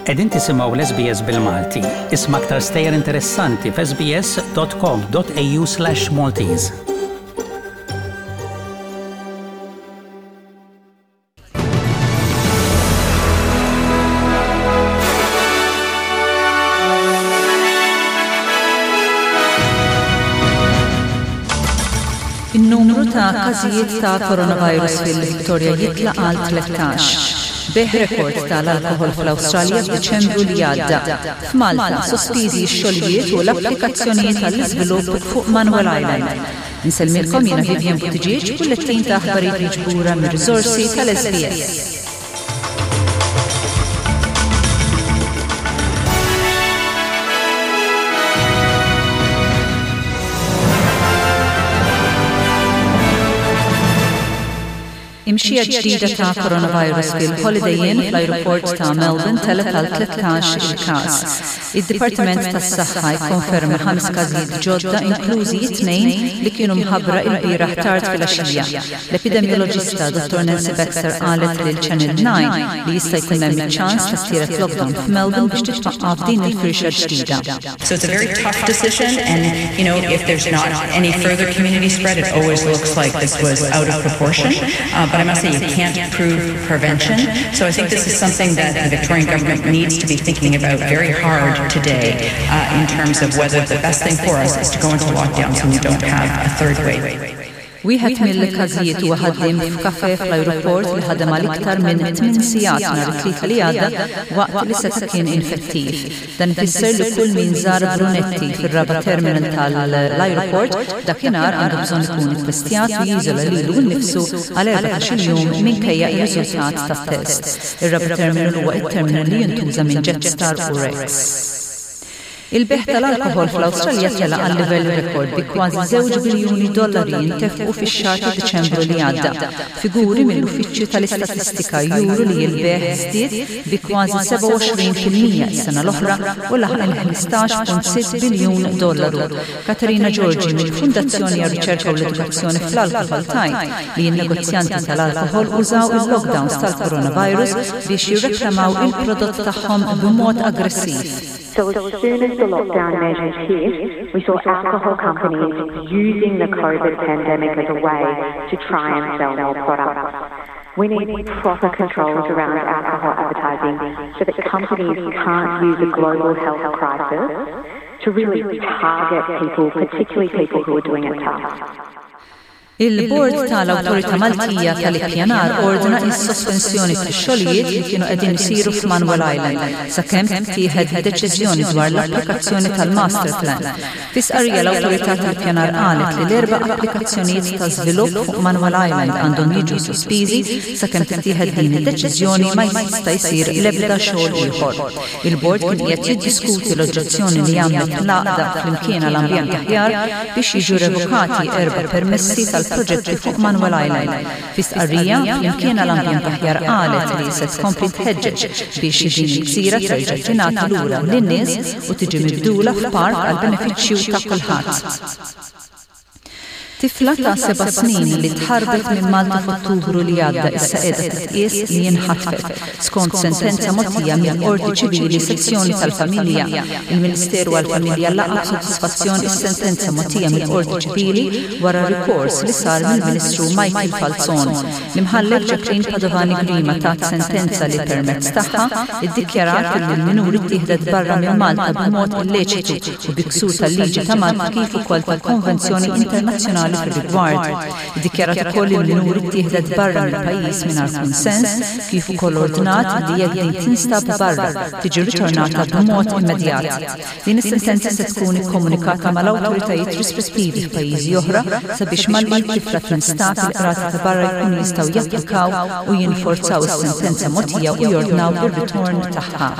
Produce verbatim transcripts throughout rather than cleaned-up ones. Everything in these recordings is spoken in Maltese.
Qegħdin tisimgħu l-S B S bil-Malti. Isma' aktar stejjer interessanti f'S B S dot com dot A U slash Maltese. In-numru ta' każijiet ta' coronavirus fil-Victoria jitla' għal tlettax. Bejgħ rekord tal-alkoħol fl-Awstralja f'Diċembru li għadda. F'Malta, sospiżi x-xogħlijiet u l-applikazzjonijiet għall-iżvilupp fuq Manuel Island. Insellmilkom jiena Vivian Buttigieg, bullettin ta' aħbarijiet miġbura mir-riżorsi tal-S B S. Imxija ġdida ta' coronavirus fil-Holiday Inn fl-aeroport ta' Melbourne telgħet għal tlettax il-każ. Id-Dipartiment tas-Saħħa jkonferma ħames każijiet ġodda, inklużi tnejn li kienu mħabbra il-bieraħ tard fil-għaxija. L-epidemiologista Dottor Nancy Baxter qalet lil Channel nine li jista' jkun hemm iċ-ċans ta' tielet lockdown f'Melbourne biex titwaqqaf din il-firxa ġdida. So it's a very tough decision, and you know, if there's not any further community spread, it always looks like this was out of proportion. Uh, but I must say, you can't prove prevention. So I think this is something that the Victorian government needs to be thinking about very hard today uh, in terms of whether the best thing for us is to go into lockdown so we don't have a third wave. Wieħed mill-każijiet huwa ħaddiem f'kafe fl-ajruport li ħadem għal iktar minn tmien sigħat nhar it-Tlieta li għadda waqt li seta' kien infettiv. Dan ifisser li kull min żar Brunetti fir-raba' terminal tal-ajruport dakinhar għandu bżonn ikun ittestjat u jiżola lilu nnifsu għal erbatax-il jum minkejja r-riżultat tat-test. Ir-raba' terminal huwa it-terminal li jintuża minn Jetstar u Rex. Il-bejgħ tal-alkoħol fl-Awstralja tela għal livell rekord bi kważi żewġ biljuni dollari jintefqu fix-xahar ta' Diċembru li għadda. Figuri mill-Uffiċċju tal-Istatistika juru li l-bejgħ żdied bi kważi sebgħa u għoxrin fil-mija s-sena l-oħra u laħaq il-ħmistax punt sitta biljun dollaru. Katerina Giorgi mill-Fundazzjoni għar-Riċerka u l-Edukazzjoni fl-Alkoħol tgħid li n-negozjanti tal-alkoħol użaw il-lockdowns tal-coronavirus biex jirreklamaw il-prodott tagħhom b'mod aggressiv. So as soon as the lockdown measures hit, we saw alcohol companies using the COVID pandemic as a way to try and sell more products. We need proper controls around alcohol advertising so that companies can't use a global health crisis to really target people, particularly people who are doing it tough. Il-Bord tal-Awtorità Maltija tal-Ippjanar ordna is-sospensjoni tax-xogħlijiet li kienu qegħdin isiru f'Manuel Island sakemm tittieħed deċiżjoni dwar l-applikazzjoni tal-Master Plan. Fi stqarrija, l-Awtorità tal-Ippjanar qalet li l-erba' applikazzjonijiet ta' żvilupp fuq Manuel Island għandhom jiġu sospiżi sakemm tittieħed din id-deċiżjoni, ma jista' jsir l-ebda xogħol ieħor. Il-bord kien qiegħed jiddiskuti l-oġġezzjoni li għamlet l-għaqda Flimkien għal Ambjent Aħjar biex jiġu revokati erba' permessi tal-proġetti fuq Manuel Island. Fi stqarrija, Flimkien għal Ambjent Aħjar qalet li se tkompli tħeġġeġ biex din il-gżira terġa' tingħata lura lin-nies u tiġi mibdula f'park għal benefiċċju ta' kulħadd. Tifla ta' seba' snin li tħarbet minn Malta f'Ottubru li għadda issa qiegħda titqies li jinħatfet skont sentenza mogħtija mill-Qorti Ċivili Sezzjoni tal-Familja. Il-Ministeru għall-Familja laqa' b'sodisfazzjon is-sentenza mogħtija mill-Qorti Ċivili wara rikors li sar mill-Ministru Michael Falzon. L-Imħallef Jacqueline Padovani Grima tat sentenza li permezz tagħha iddikjarat li l-minuri ttieħdet barra minn Malta b'mod illeċitu u bi ksur tal-liġi ta' Malta kif ukoll tal-Konvenzjoni Internazzjonali fir-rigward. Iddikjarat ukoll li l-minuri ttieħdet barra mill-pajjiż mingħajr kunsens, kif ukoll ordnat li jekk din tinstab barra tiġi ritornata b'mod immedjat. Din is-sentenza se tkun ikkomunikata mal-awtoritajiet rispettivi f'pajjiżi oħra sabiex malli t-tifla tinstab, il-qrati ta' barra jkunu jistgħu japplikaw u jinforzaw is-sentenza mogħtija u jordnaw ir-ritorn tagħha.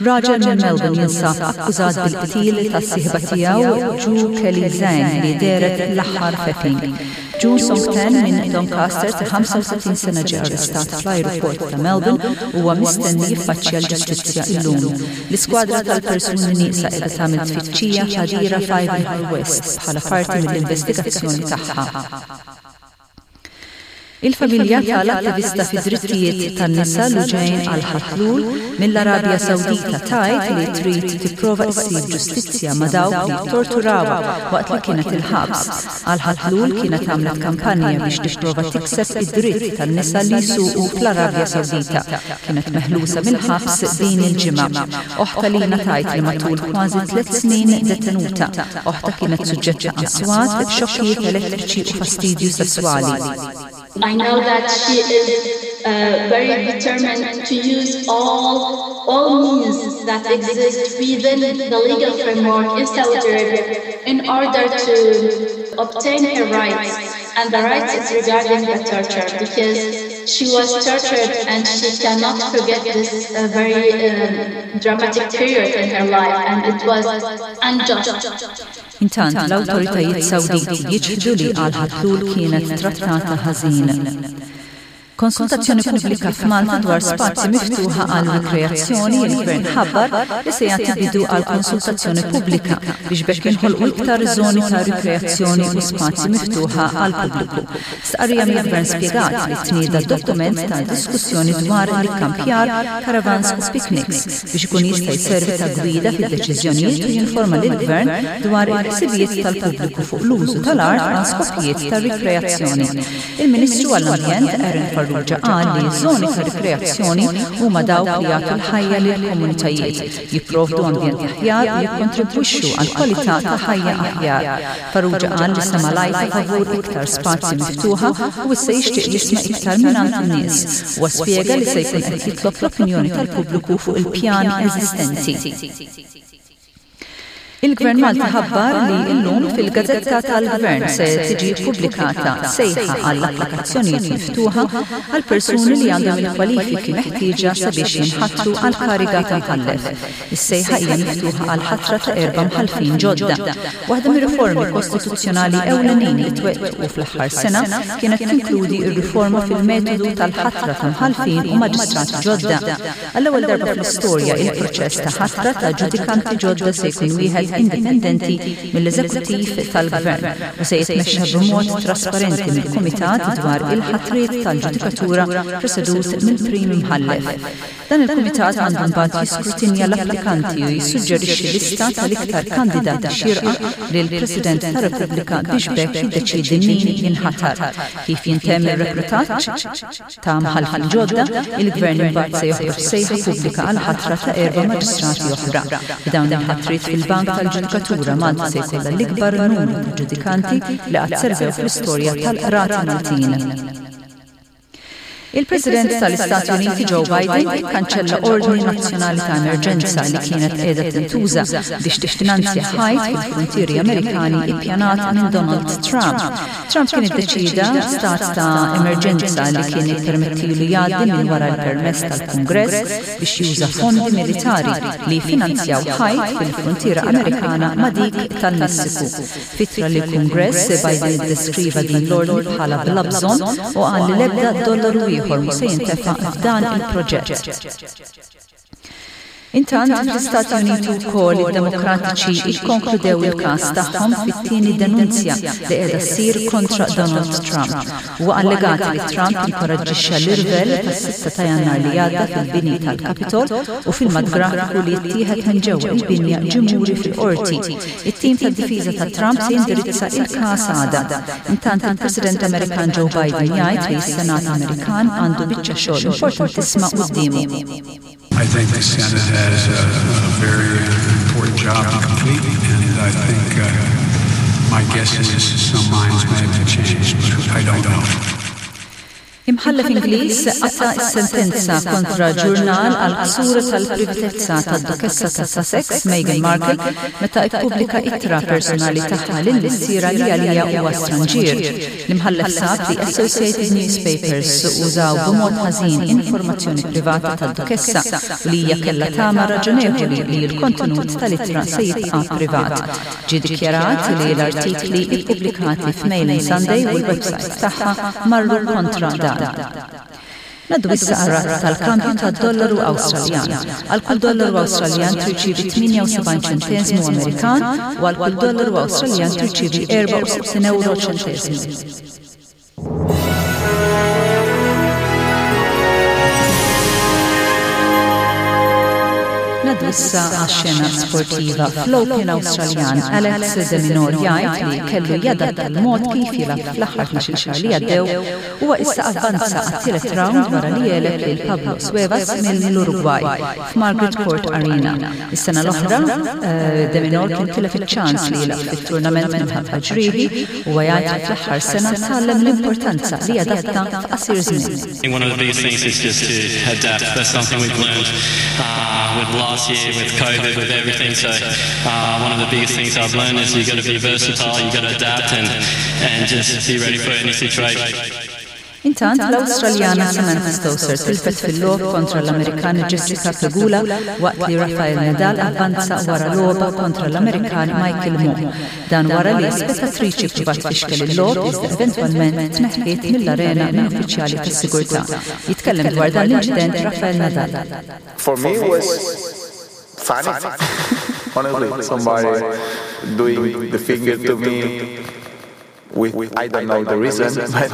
Raġel minn Melbourne jinsab akkużat bil-qtil tas-sieħba tiegħu Ju Kelly Zhang li dehret l-aħħar f'Epping. Jun Song Tan minn Doncaster ta' ħamsa u tletin sena ġie arrestat fl-ajruport ta' Melbourne u huwa mistenni jiffaċċja l-ġustizzja illum. L-iskwadra tal-persuni nieqsa qiegħda tagħmel tfittxija f'għadira f'Ivanhoe West bħala parti mill-investigazzjoni tagħha. Il-familja tal-attivista fid-drittijiet tan-nisa Loujain Al-Hathloul mill-Arabja Sawdita tgħid li trid tipprova ssib ġustizzja ma' dawk li torturawha waqt li kienet il-ħabs. Al-Hathloul kienet għamlet kampanja biex tipprova tikseb id-dritt tan-nisa li jsuqu fl-Arabja Sawdita. Kienet meħlusa mill-ħabs din il-ġimgħa. Oħtha Lina tgħid li matul kważi tliet snin detenuta, oħtha kienet suġġetta għal swat, xokkijiet elettriċi u fastidju sesswali. I know that she is uh, very determined to use all, all means that exist within the legal framework in Saudi Arabia in order to obtain her rights. And the rights is regarding the torture, because she was tortured and she cannot forget this uh, very um, dramatic period in her life, and it was unjust. Intant, l-awtoritajiet Sawditi jiċħdu li Al-Hathloul kienet trattata ħażin. Konsultazzjoni pubblika f'Malta dwar spazji miftuħa għal rikreazzjoni. Il-Gvern ħabbar li se jagħti bidu għal konsultazzjoni pubblika biex b'hekk jinħolqu iktar żoni ta' rikreazzjoni u spazji miftuħa għal pubbliku. Stqarrija mill-Gvern spjegat li tnieda dokument ta' diskussjoni dwar l-ikkampjar, caravans u picnics biex ikun jista' jservi ta' gwida fid-deċiżjonijiet u jinforma lill-Gvern dwar il-ħsibijiet tal-pubbliku fuq l-użu tal-art għal skopijiet ta' rikreazzjoni. Il-Ministru għall-Ambjent Aaron Farrugia qal li żoni ta' rikreazzjoni huma dawk li jagħtu l-ħajja lill-komunitajiet, jipprovdu ambjent aħjar u jikkontribwixxu għal kwalità ta' ħajja aħjar. Farrugia qal li sema' l-għajta favur iktar spazji miftuħa u issa jixtieq jisma' iktar mingħand in-nies. Huwa spjega li se jkun qed jitlob l-opinjoni tal-pubbliku fuq il-pjan eżistenti. Il-Gvern Malti ħabbar li illum fil-Gazzetta tal-Gvern se tiġi pubblikata sejħa għall-applikazzjonijiet miftuħa għal persuni li għandhom il-kwalifiki meħtieġa sabiex jinħatru għal kariga ta' mħallef. Is-sejħa hija miftuħa għal ħatra ta' erba' mħallfin ġodda. Waħda mir-riformi kostituzzjonali ewlenin li twettqu fl-aħħar sena kienet tinkludi r-riforma fil-metodu tal-ħatra ta' mħallfin u maġistrati ġodda. Għall-ewwel darba fl-istorja, il-proċess ta' ħatra ta' ġudikanti ġodda se jkun wieħed indipendenti mill-eżekuttiv tal-gvern u se jitmexxa b'mod trasparenti mill-Kumitat dwar il-ħatriet tal-ġudikatura presedut mill-Prim Imħallef. Dan il-kumitat għandu mbagħad jiskrutinja l-applikanti u jissuġġerixxi lista tal-iktar kandidati xierqa lill-President tar-Repubblika biex b'hekk jiddeċiedi min jinħatar. Kif jintemm ir-reklutaġġ ta' mħallfin ġodda, il-Gvern imbagħad se joħroġ sejħa pubblika għal ħatra ta' erba' maġistrati oħra. B'dawn il-ħatriet fil-bank tal-ġudikatura, Malta se jkollha l-ikbar numru ta' ġudikanti li qatt servew fl-istorja tal-qrati Maltin. Il-President tal-Istati Uniti Joe Biden ikkanċella ordni nazzjonali ta' emerġenza li kienet qiegħda tintuża biex tiffinanzja ħajt fil-frontieri Amerikani ippjanat minn Donald Trump. Trump kien iddeċida stat ta' emerġenza li kien jippermettilu jgħaddi minn wara l-permess tal-Kungress biex juża fondi militari li finanzjaw ħajt fil-frontiera Amerikana ma' dik tal-Messiku. F'ittra lill-Kungress, Biden iddeskriva din l-ordni bħala bla bżonn u qal li l-ebda dollaru ieħor mhu se jintefa' f'dan il-proġett. Intant, fl-Istati Uniti wkoll id-Demokratiċi ikkonkludew il-każ tagħhom fit-tieni denunzja li qiegħda ssir kontra Donald Trump. Huwa allegat li Trump inkoraġġixxa l-irvell tas-sitta ta' Jannar li għadda fil-bini tal-Capitol u filmat grafiku li jittieħed minn ġewwa il-binja ġie muri fil-qorti. It-tim tad-difiża ta' Trump se jindirizza il-każ għada. Intant, il-President Amerikan Joe Biden jgħid li s-Senat Amerikan għandu biċċa xogħol importantissima quddiemu. I think the Senate has a, a very important job to complete, and I think uh, my guess is some minds may have been changed, but I don't know. Imħallef Ingliż qata' s-sentenza kontra ġurnal għal ksur tal-privatezza tad-Dukessa ta' Sussex Meghan Markle meta ippubblika ittra personali tagħha lil missierha li għalija huwa stranġier. L-imħallef sab li Associated Newspapers użaw b'mod ħażin informazzjoni privata tad-Dukessa u li hija kellha tama raġonevoli li l-kontenut tal-ittra se jibqa' privat. Ġie dikjarat li l-artikli ippubblikati f'Mail on Sunday u l-website tagħha marru kontra dan. Ngħaddu issa għar-rata tal-kambju tad-dollaru Awstraljan. Għal kull dollaru Awstraljan tirċievi tmienja u sebgħin ċenteżmu Amerikan u għal kull dollaru Awstraljan tirċievi erbgħa u sittin euro ċenteżmu. issa għax-xena sportiva. Fl-Open Awstraljan, Alex de Minaur jgħid li kellu jadatta l-mod kif jilgħab fl-aħħar tnax-il xahar li għaddew. Huwa issa avvanza għat-tielet round wara li għeleb lil Pablo Cuevas mill-Uruguay f'Margaret Court Arena. Is-sena l-oħra eh, de Minaur kien tilef iċ-ċans li jilgħab fit-tournament minħabba ġrieħi u jgħid li fl-aħħar sena tgħallem l-importanza li jadatta f'qasir żmien. One of the biggest things is just to adapt. That's something we've learned uh, with last year, with COVID, with everything. So uh, one of the biggest things I've learned is you've got to be versatile, you've got to adapt and, and just be ready for any situation. Intant l-Awstraljana Samantha Stosur tilfet fil-logħob kontra l-Amerikan Jessica Pegula waqt li Rafael Nadal avvanza wara logħba kontra l-Amerikan Michael Mmoh. Dan wara li spettatriċi ppruvat tfixkel il-logħob iżda eventwalment tneħħiet mill-arena minn uffiċjali tas-sigurtà. Jitkellem dwar dan l-inċident Rafael Nadal. For me it was funny. Honestly, somebody doing the finger to me with I don't know the reason, but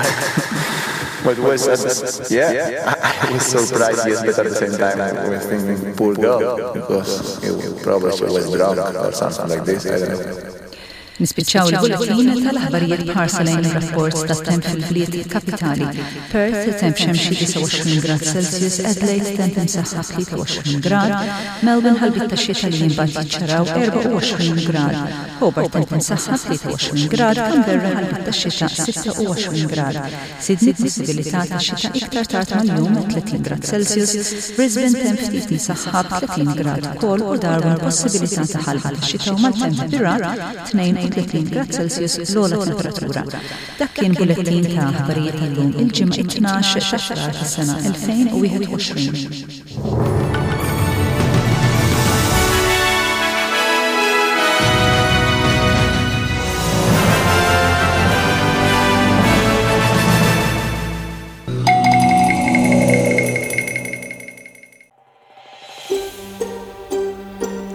but was uh, yeah, I was surprised, yes, but at the same time I was thinking poor girl because it, probably she was drunk or something like this. I don't know. Nispiċċaw il-bulletin tal-aħbarijiet b'ħarsa lejn ir-rapport tat-temp fil-bliet kapitali. Perth temp xemxi disgħa u għoxrin grad Celsius, Adelaide temp imsaħħab tlieta u għoxrin grad, Melbourne ħalbiet ta' xita li imbagħad jiċċaraw erbgħa u għoxrin grad, Hobart temp imsaħħab tlieta u għoxrin grad, Canberra ħalbiet ta' xita sitta u għoxrin grad, Sydney possibilità ta' xita iktar tard mal-jum tletin grad Celsius, Brisbane temp ftit imsaħħab tletin grad ukoll u Darwin possibilità ta' ħalba ta' xita u maltemp bir-ragħad tnejn u tletin grad Celsius l-ogħla temperatura. Dak kien bullettin ta' aħbarijiet tal-lum il-Ġimgħa it-tnax ta' Frar tas-sena elfejn u wieħed u għoxrin.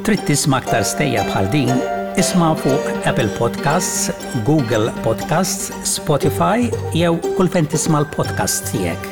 Trid tisma' aktar stejjer bħal din? Isma' fuq Apple Podcasts, Google Podcasts, Spotify jew kull fejn tisma' l-podcast tiegħek.